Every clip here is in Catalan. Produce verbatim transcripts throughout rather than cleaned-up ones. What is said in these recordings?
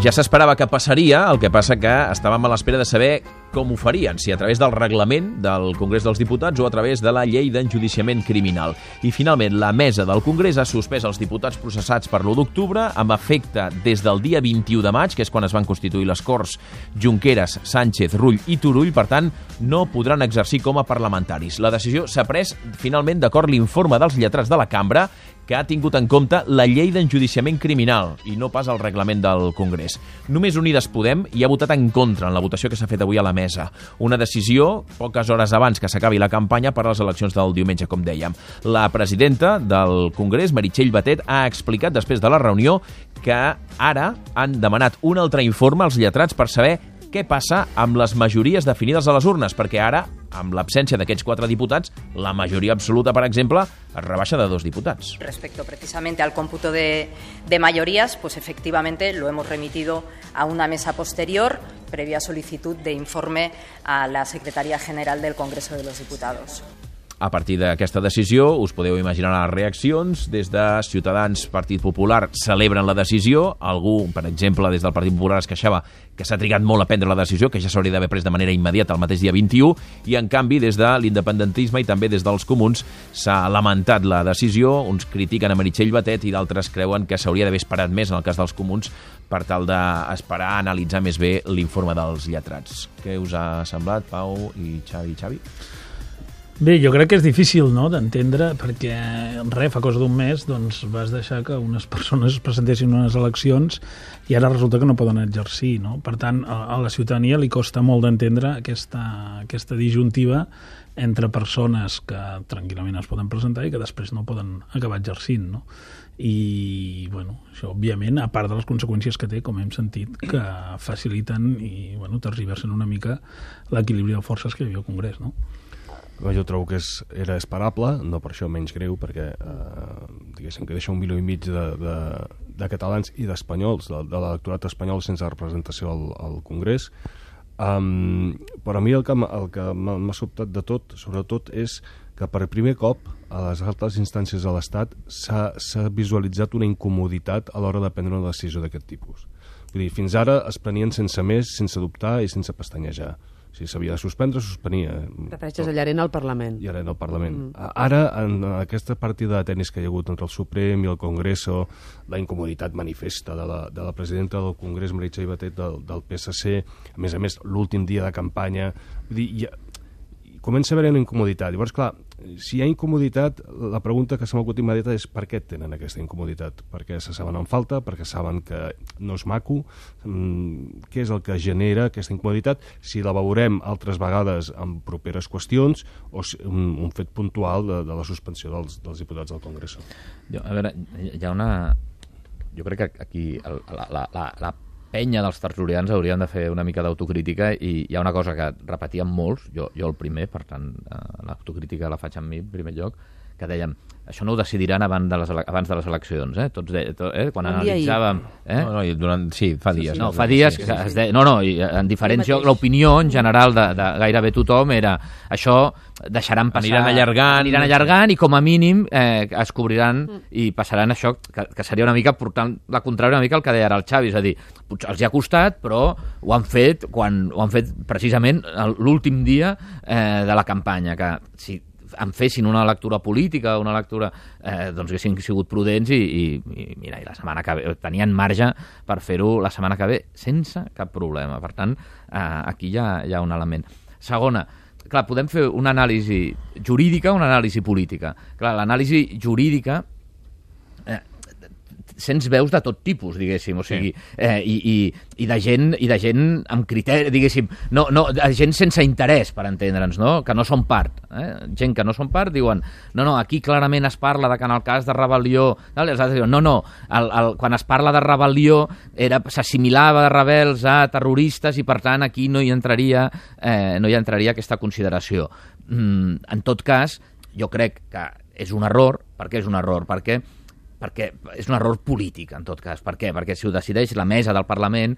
Ja s'esperava que passaria, el que passa que estàvem a l'espera de saber com ho farien, si a través del reglament del Congrés dels Diputats o a través de la llei d'enjudiciament criminal. I finalment la mesa del Congrés ha suspès els diputats processats per l'u d'octubre amb efecte des del dia vint-i-u de maig, que és quan es van constituir les Corts Junqueras, Sánchez, Rull i Turull, per tant, no podran exercir com a parlamentaris. La decisió s'ha pres finalment d'acord l'informe dels lletrats de la Cambra, que ha tingut en compte la llei d'enjudiciament criminal i no pas el reglament del Congrés. Només Unides Podem hi ha votat en contra en la votació que s'ha fet avui a la mesa. Una decisió poques hores abans que s'acabi la campanya per a les eleccions del diumenge, com dèiem. La presidenta del Congrés, Meritxell Batet, ha explicat després de la reunió que ara han demanat un altre informe als lletrats per saber què passa amb les majories definides a les urnes, perquè ara, amb l'absència d'aquests quatre diputats, la majoría absoluta, por ejemplo, es rebaixa de dos diputats. Respecto precisamente al cómputo de, de mayorías, pues efectivamente lo hemos remitido a una mesa posterior, previa solicitud de informe a la Secretaría General del Congreso de los Diputados. A partir d'aquesta decisió, us podeu imaginar les reaccions. Des de Ciutadans, Partit Popular, celebren la decisió. Algú, per exemple, des del Partit Popular es queixava que s'ha trigat molt a prendre la decisió, que ja s'hauria d'haver pres de manera immediata el mateix dia vint-i-u, i en canvi des de l'independentisme i també des dels comuns s'ha lamentat la decisió. Uns critiquen a Meritxell Batet i d'altres creuen que s'hauria d'haver esperat més, en el cas dels comuns, per tal d'esperar a analitzar més bé l'informe dels lletrats. Què us ha semblat, Pau i Xavi? Xavi? Bé, jo crec que és difícil, no?, d'entendre, perquè res, fa cosa d'un mes doncs, vas deixar que unes persones es presentessin unes eleccions i ara resulta que no poden exercir, no? Per tant, a, a la ciutadania li costa molt d'entendre aquesta, aquesta disjuntiva entre persones que tranquil·lament es poden presentar i que després no poden acabar exercint, no? I, bueno, això, òbviament, a part de les conseqüències que té, com hem sentit, que faciliten i, bueno, tergiversen una mica l'equilibri de forces que hi havia al Congrés, no? Jo trobo que és, era esperable, no per això menys greu, perquè eh, diguéssim que deixa un milió i mig de, de, de catalans i d'espanyols, de, de l'electorat espanyol sense representació al, al Congrés. Um, però a mi el que, el que m'ha sobtat de tot, sobretot, és que per primer cop a les altres instàncies de l'Estat s'ha visualitzat una incomoditat a l'hora de prendre una decisió d'aquest tipus. Vull dir, fins ara es prenien sense més, sense dubtar i sense pestanyejar. Si s'havia de suspendre, suspenia. Refereixes a l'arena al Parlament. I arena al Parlament. Mm. Ara, en aquesta partida de tenis que hi ha hagut entre el Suprem i el Congreso, la incomoditat manifesta de la, de la presidenta del Congrés, Meritxell Batet, del, del P S C, a més a més, l'últim dia de campanya, vull dir, ja, comença a haver una incomoditat. Llavors, clar, si hi ha incomoditat, la pregunta que se m'acut immediata és per què tenen aquesta incomoditat? Perquè se saben en falta, perquè saben que no és maco, mm, què és el que genera aquesta incomoditat, si la veurem altres vegades en properes qüestions o si, un, un fet puntual de, de la suspensió dels, dels diputats del Congrés. Jo, a veure, hi ha una... Jo crec que aquí el, la, la, la, la penya dels tertulians haurien de fer una mica d'autocrítica i hi ha una cosa que repetíem molts, jo, jo el primer, per tant, eh, l'autocrítica la faig amb mi en primer lloc, que dèiem, això no ho decidiran abans de les, abans de les eleccions, eh? Tots de, to, eh? Quan analitzàvem... Eh? No, no, durant, sí, fa dies. Sí, no, fa dies sí, sí, sí. que es deia... No, no, i en diferents llocs, l'opinió en general de, de gairebé tothom era això deixaran passar... Aniran allargant... Aniran allargant i com a mínim eh, es cobriran i passaran això, que, que seria una mica portant la contrària una mica el que deia ara el Xavi, és a dir, potser els hi ha costat, però ho han fet quan ho han fet precisament l'últim dia eh, de la campanya, que si en fessin una lectura política, una lectura, eh, doncs haguessin sigut prudents i, i, i mira, i la setmana que ve, tenien marge per fer-ho la setmana que ve sense cap problema. Per tant, eh, aquí hi ha, hi ha un element. Segona, clar, podem fer una anàlisi jurídica, una anàlisi política. Clar, l'anàlisi jurídica eh, sents veus de tot tipus, diguéssim, o sigui, eh, i, i, i, de gent, i de gent amb criteri, diguéssim, no, no, de gent sense interès, per entendre'ns, no? Que no són part. Eh? Gent que no són part diuen, no, no, aquí clarament es parla de que en el cas de rebel·lió... No, els altres diuen, no, no, el, el, quan es parla de rebel·lió s'assimilava de rebels a terroristes i, per tant, aquí no hi entraria, eh, no hi entraria aquesta consideració. Mm, en tot cas, jo crec que és un error. Per què és un error? Perquè perquè és un error polític, en tot cas. Per què? Perquè si ho decideix la mesa del Parlament,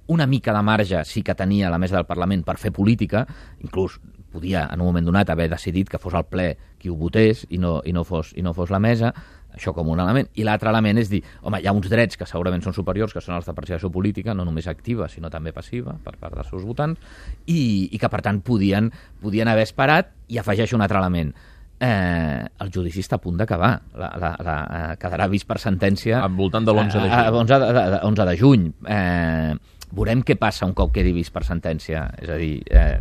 una mica de marge sí que tenia la mesa del Parlament per fer política, inclús podia en un moment donat haver decidit que fos el ple qui ho votés i no, i no, fos, i no fos la mesa, això com un element. I l'altre element és dir, home, hi ha uns drets que segurament són superiors, que són els de participació política, no només activa, sinó també passiva, per part dels seus votants, i, i que, per tant, podien, podien haver esperat, i afegeixo un altre element. Eh, el judici està a punt d'acabar. La, la, la, eh, quedarà vist per sentència... Al voltant de l'onze de juny. Eh, onze de, de, onze de juny. Eh, veurem què passa un cop quedi vist per sentència. És a dir... Eh,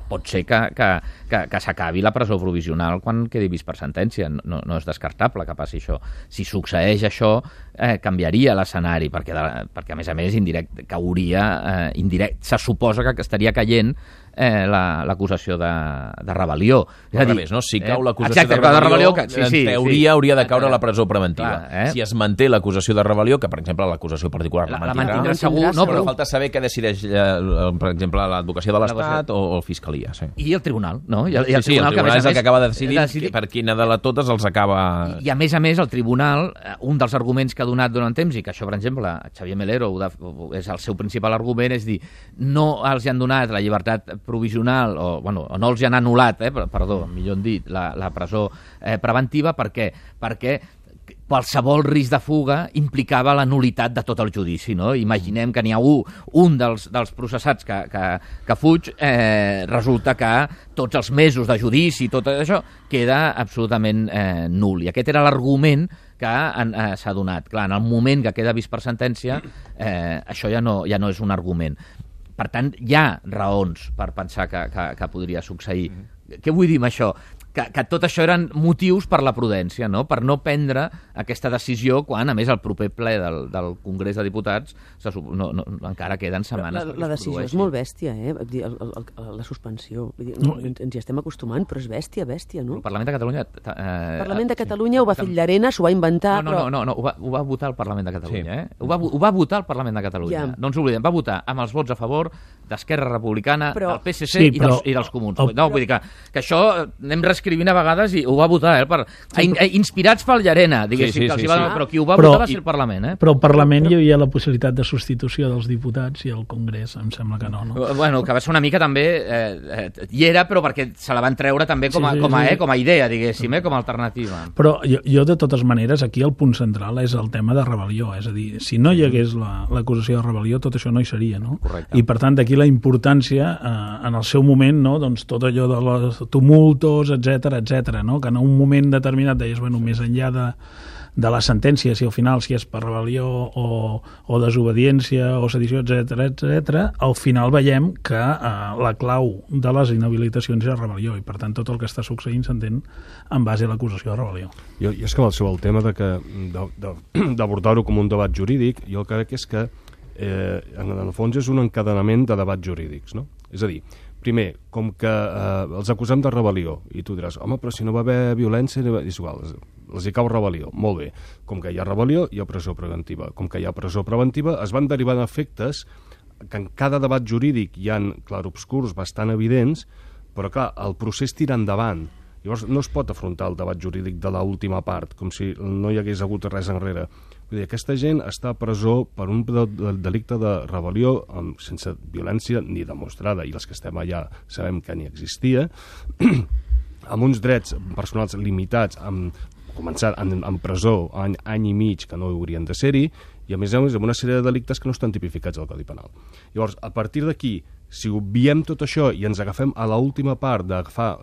pot ser que, que, que, que s'acabi la presó provisional quan quedi vist per sentència. No, no és descartable que passi això. Si succeeix això, eh, canviaria l'escenari, perquè, de, perquè a més a més indirect, cauria, eh, indirect, se suposa que estaria caient eh, l'acusació la, de, de rebel·lió. És a dir, no? Si cau eh, l'acusació exacte, de rebel·lió, de rebel·lió que, sí, en sí, teoria sí. hauria de caure la presó preventiva. Clar, eh? Si es manté l'acusació de rebel·lió, que per exemple l'acusació particular la, la, la mantindrà, mantindrà segur, no, però però falta saber què decideix, eh, per exemple, l'advocacia de l'Estat o, o fiscalia. Sí. I el tribunal, no? I el, i el sí, sí, tribunal, el tribunal que, és el més, que acaba de decidir, decidir per quina de les totes els acaba... I, I a més a més, el tribunal, un dels arguments que ha donat durant temps, i que això, per exemple, Xavier Melero ho de, és el seu principal argument, és dir, no els han donat la llibertat provisional, o, bueno, o no els han anul·lat, eh, perdó, millor dit, la, la presó eh, preventiva, per què? Perquè qualsevol risc de fuga implicava la nulitat de tot el judici, no? Imaginem que n'hi ha un, un dels, dels processats que, que, que fuig, eh, resulta que tots els mesos de judici, tot això, queda absolutament eh, nul. I aquest era l'argument que eh, s'ha donat. Clar, en el moment que queda vist per sentència, eh, això ja no, ja no és un argument. Per tant, hi ha raons per pensar que, que, que podria succeir. Mm-hmm. Què vull dir amb això? Que, que tot això eren motius per la prudència, no? Per no prendre aquesta decisió quan, a més, el proper ple del, del Congrés de Diputats se, no, no, encara queden setmanes la, perquè la decisió és molt bèstia, eh? El, el, el, la suspensió. Vull dir, no, ens, ens hi estem acostumant, però és bèstia, bèstia, no? El Parlament de Catalunya... Eh, el Parlament de Catalunya sí. ho va fer Llarena, s'ho va inventar... No, no, però... no, no, no ho, va, ho va votar el Parlament de Catalunya, sí. eh? Ho va, ho va votar el Parlament de Catalunya. Ja. No ens oblidem, va votar amb els vots a favor d'Esquerra Republicana, però... del P S C sí, però... i, dels, i dels Comuns. El... No, vull dir que, que això anem reescrivint a vegades i ho va votar, eh? Per, sí, però... inspirats pel Llarena, diguéssim, sí, sí, que els sí, va, sí. però qui ho va però, votar va ser el Parlament, eh? Però al Parlament hi havia la possibilitat de substitució dels diputats i al Congrés, em sembla que no, no? Bueno, que va ser una mica també... Eh, eh, hi era, però perquè se la van treure també com a, sí, sí, com a, eh, com a idea, diguéssim, eh, com a alternativa. Però jo, jo, de totes maneres, aquí el punt central és el tema de rebel·lió, és a dir, si no hi hagués l'acusació la, de rebel·lió, tot això no hi seria, no? Correcte. I per tant, d'aquí la importància, eh, en el seu moment, no? Doncs tot allò de los tumultos, etc etc, no? Que en un moment determinat deies, bueno, més enllà de, de la sentència, si al final si és per rebel·lió o, o desobediència o sedició, etc etc, al final veiem que eh, la clau de les inhabilitacions és la rebel·lió i per tant tot el que està succeint s'entén en base a l'acusació de rebel·lió. Jo, jo és que sobre el tema de que d'abordar-ho com un debat jurídic, jo crec que és que eh, en el fons és un encadenament de debats jurídics, no? És a dir, primer, com que eh, els acusem de rebel·lió, i tu diràs, home, però si no va haver violència, és igual, els hi cau rebel·lió. Molt bé, com que hi ha rebel·lió, hi ha presó preventiva. Com que hi ha presó preventiva, es van derivant efectes que en cada debat jurídic hi ha clarobscurs bastant evidents, però clar, el procés tira endavant. Llavors no es pot afrontar el debat jurídic de l'última part, com si no hi hagués hagut res enrere. Vull dir, aquesta gent està a presó per un delicte de rebel·lió amb, sense violència ni demostrada, i els que estem allà sabem que ni existia, amb uns drets personals limitats, amb, començar en, en presó any, any i mig que no haurien de ser-hi, i a més a més amb una sèrie de delictes que no estan tipificats al Codi Penal. Llavors, a partir d'aquí, si obviem tot això i ens agafem a l'última part d'agafar,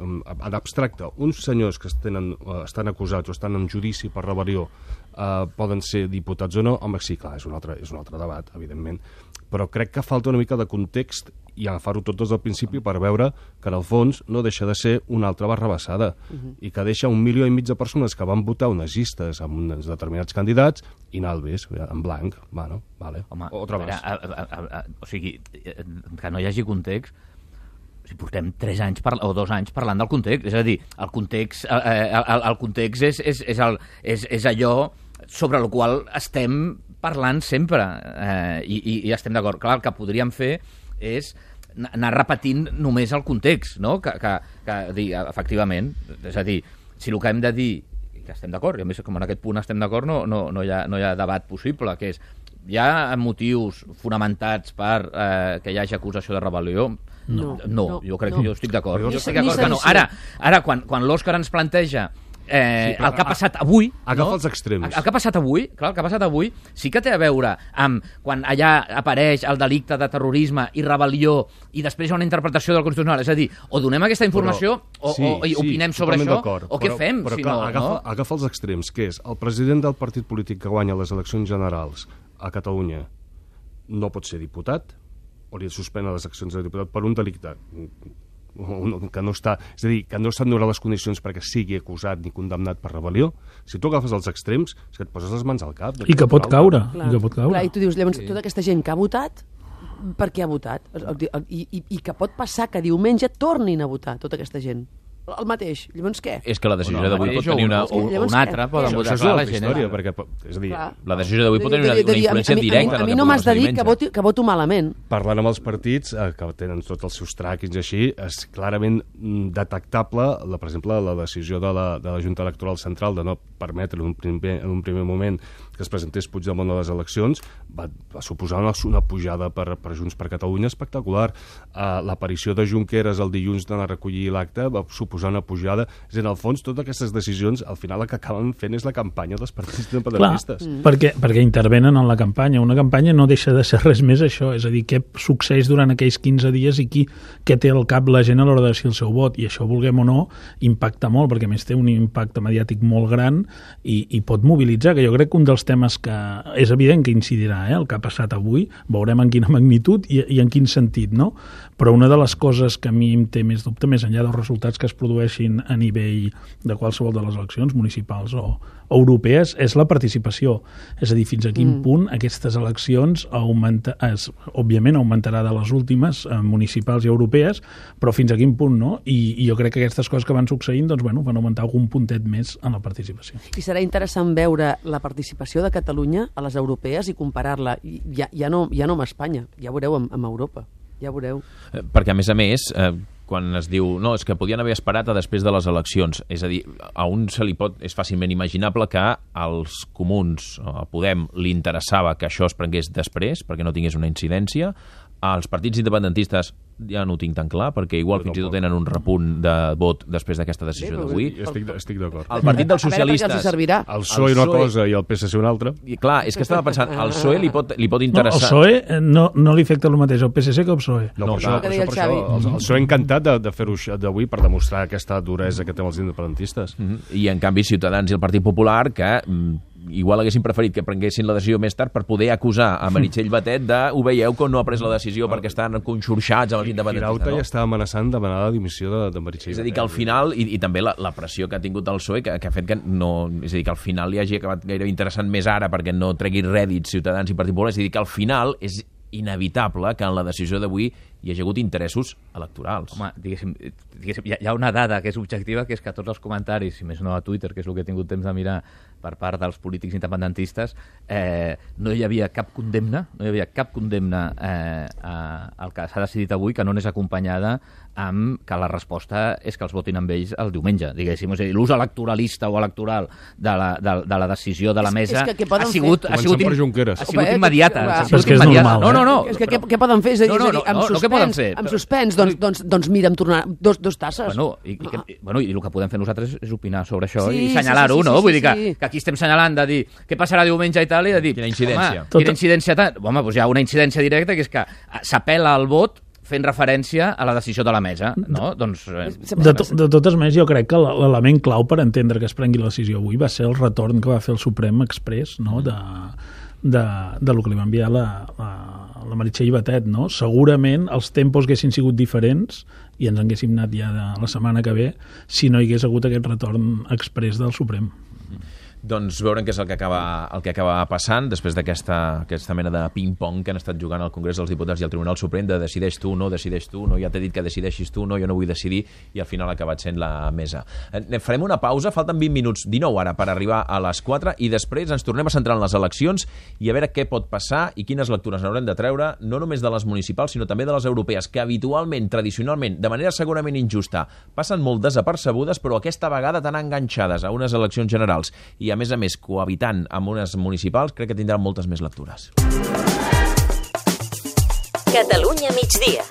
d'abstracte, uns senyors que tenen, estan acusats o estan en judici per rebel·lió eh, poden ser diputats o no, home, sí, clar, és un altre, és un altre debat, evidentment, però crec que falta una mica de context i agafar-ho tot des del principi per veure que en el fons no deixa de ser una altra barrabassada uh-huh. i que deixa un milió i mig de persones que van votar unes llistes amb uns determinats candidats i nalbes, en blanc, bueno, vale, home, otra més. A, a, a, a, o sigui, que no hi hagi context, si portem tres anys par o dos anys parlant del context, és a dir, el context, eh, el, el context és, és, és, el, és, és allò sobre el qual estem parlant sempre eh, i, i, i estem d'acord. Clar, el que podríem fer és anar repetint només el context, no? Que, que, que dir, efectivament, és a dir, si el que hem de dir, que estem d'acord, i a més com en aquest punt estem d'acord, no, no, no, hi ha, no hi ha debat possible, que és, hi ha motius fonamentats per eh, que hi hagi acusació de rebel·lió? No, no, no jo crec no. que jo estic d'acord. Jo estic d'acord que no. Ara, ara quan, quan l'Òscar ens planteja eh, sí, el que ha passat avui... Agafa no? els extrems. El que ha passat avui, clar, el que ha passat avui sí que té a veure amb quan allà apareix el delicte de terrorisme i rebel·lió i després hi ha una interpretació del Constitucional. És a dir, o donem aquesta informació però, o, sí, o, i opinem sí, sobre això, o què però, fem? Però, si clar, no, agafa, no? agafa els extrems, que és el president del partit polític que guanya les eleccions generals a Catalunya no pot ser diputat, o li suspenen les accions de diputat per un delicte que no està, és a dir, que no estan donant les condicions perquè sigui acusat ni condemnat per rebel·lió. Si tu agafes els extrems, és que et poses les mans al cap. I que pot caure. Clar, I que pot caure. clar, i tu dius, llavors, sí. tota aquesta gent que ha votat, per què ha votat? I, i, I que pot passar que diumenge tornin a votar tota aquesta gent. El mateix. Llavors què? És que la decisió Bueno, d'avui pot mateix, tenir una... o, o, o una altra, poden Això, votar això és clar, una la altra gent. història, perquè, és a dir, Clar. La decisió d'avui pot tenir una, De dir, una de dir, influència a mi- directa. A en mi, el no que m'has de passa dir que diumenge. voto, que voto malament. parlant amb els partits eh, que tenen tots els seus tràquings i així, és clarament mm, detectable, la, per exemple, la decisió de la, de la Junta Electoral Central de no permetre en un primer, en un primer moment que es presentés Puigdemont a les eleccions, va, va suposar una, una pujada per, per Junts per Catalunya espectacular. Uh, L'aparició de Junqueras el dilluns d'anar a recollir l'acte va suposar una pujada. És a dir, en el fons, totes aquestes decisions, al final el que acaben fent és la campanya dels partits independentistes. Clar, perquè, perquè intervenen en la campanya. Una campanya no deixa de ser res més això, és a dir, què succeeix durant aquells quinze dies i qui, què té al cap la gent a l'hora de decidir el seu vot. I això, vulguem o no, impacta molt, perquè a més té un impacte mediàtic molt gran i, i pot mobilitzar, que jo crec que un dels temes que és evident que incidirà, eh, el que ha passat avui, veurem en quina magnitud i, i en quin sentit, no? Però una de les coses que a mi em té més dubte, més enllà dels resultats que es produeixin a nivell de qualsevol de les eleccions municipals o, o europees, és la participació. És a dir, fins a quin mm. punt aquestes eleccions augmenta, es, òbviament augmentarà de les últimes eh, municipals i europees, però fins a quin punt no? I, i jo crec que aquestes coses que van succeint doncs, bueno, van augmentar algun puntet més en la participació. I serà interessant veure la participació de Catalunya a les europees i comparar-la, ja, ja, no, ja no amb Espanya, ja veureu amb, amb Europa, ja veureu. Eh, perquè, a més a més, eh, quan es diu no, és que podien haver esperat a després de les eleccions, és a dir, a un se li pot, és fàcilment imaginable que als comuns, a Podem, li interessava que això es prengués després, perquè no tingués una incidència. Als partits independentistes ja no ho tinc tan clar, perquè igual fins i tot tenen un repunt de vot després d'aquesta decisió d'avui. Estic, estic d'acord. El partit dels A veure, perquè socialistes... els hi servirà. El P S O E una cosa i el P S C una altra. I clar, és que estava pensant, al P S O E li pot, li pot No, el interessar... P S O E eh, no, no li afecta el mateix al P S C que al P S O E. No, No, per això, que per deia això, el per això Xavi. el, el P S O E encantat de, de fer-ho d'avui per demostrar aquesta duresa que té els independentistes. Mhm. I en canvi Ciutadans i el Partit Popular que mm, igual haguessin preferit que prenguessin la decisió més tard per poder acusar a Meritxell Batet de ho veieu que no ha pres la decisió perquè estan conxorxats amb els independentistes. Firauta No? ja estava amenaçant demanar la dimissió de, de Meritxell. És a dir, que al final, i, i també la, la pressió que ha tingut el P S O E, que, que ha fet que no... És a dir, que al final li hagi acabat gairebé interessant més ara perquè no tregui rèdits Ciutadans i Partit Popular. És a dir, que al final és inevitable que en la decisió d'avui hi hagi hagut interessos electorals. Home, diguéssim, diguéssim, hi ha- hi ha una dada que és objectiva, que és que tots els comentaris, si més no a Twitter, que és el que he tingut temps de mirar per part dels polítics independentistes, eh, no hi havia cap condemna, no hi havia cap condemna eh, a, al que s'ha decidit avui que no n'és acompanyada amb que la resposta és que els votin amb ells el diumenge, diguéssim. És a dir, l'ús electoralista o electoral de la, de, de la decisió de la És- mesa és que què poden ha sigut, fer? ha sigut, Començant per im- Junqueras. ha sigut Home, immediata. que- ha que sigut és que és immediata. normal, No, no, no. És que què, què poden fer? És a dir, No, no, és a dir, amb no, no, suspens, què poden fer? amb suspens doncs, doncs, doncs mira, em tornar dos, dos tasses. Bueno i, i, que, bueno, i el que podem fer nosaltres és opinar sobre això Sí, i sí, senyalar-ho, sí, sí, no? sí, Vull sí, dir que, sí. que aquí estem senyalant de dir què passarà diumenge i tal, i de dir... Quina incidència. Home, Tot- quina incidència tant? Home, doncs hi ha una incidència directa que és que s'apel·la al vot fent referència a la decisió de la mesa, no? Doncs... Eh, De, to, de totes maneres, jo crec que l'element clau per entendre que es prengui la decisió avui va ser el retorn que va fer el Suprem Express, no?, de, de, de lo que li va enviar la, la, la Meritxell Batet, no? Segurament els tempos haguessin sigut diferents i ens haguéssim anat ja de la setmana que ve si no hi hagués hagut aquest retorn express del Suprem. Doncs veurem què és el que acaba, el que acaba passant després d'aquesta aquesta mena de ping-pong que han estat jugant al Congrés dels Diputats i al Tribunal Suprem de decideix tu, no decideix tu, no, ja t'he dit que decideixis tu, no, jo no vull decidir, i al final ha acabat sent la mesa. Eh, farem una pausa, falten vint minuts, dinou ara, per arribar a les quatre, i després ens tornem a centrar en les eleccions i a veure què pot passar i quines lectures n'haurem de treure, no només de les municipals, sinó també de les europees, que habitualment, tradicionalment, de manera segurament injusta, passen molt desapercebudes, però aquesta vegada tan enganxades a unes eleccions generals i a més a més cohabitant amb unes municipals, crec que tindran moltes més lectures. Catalunya migdia.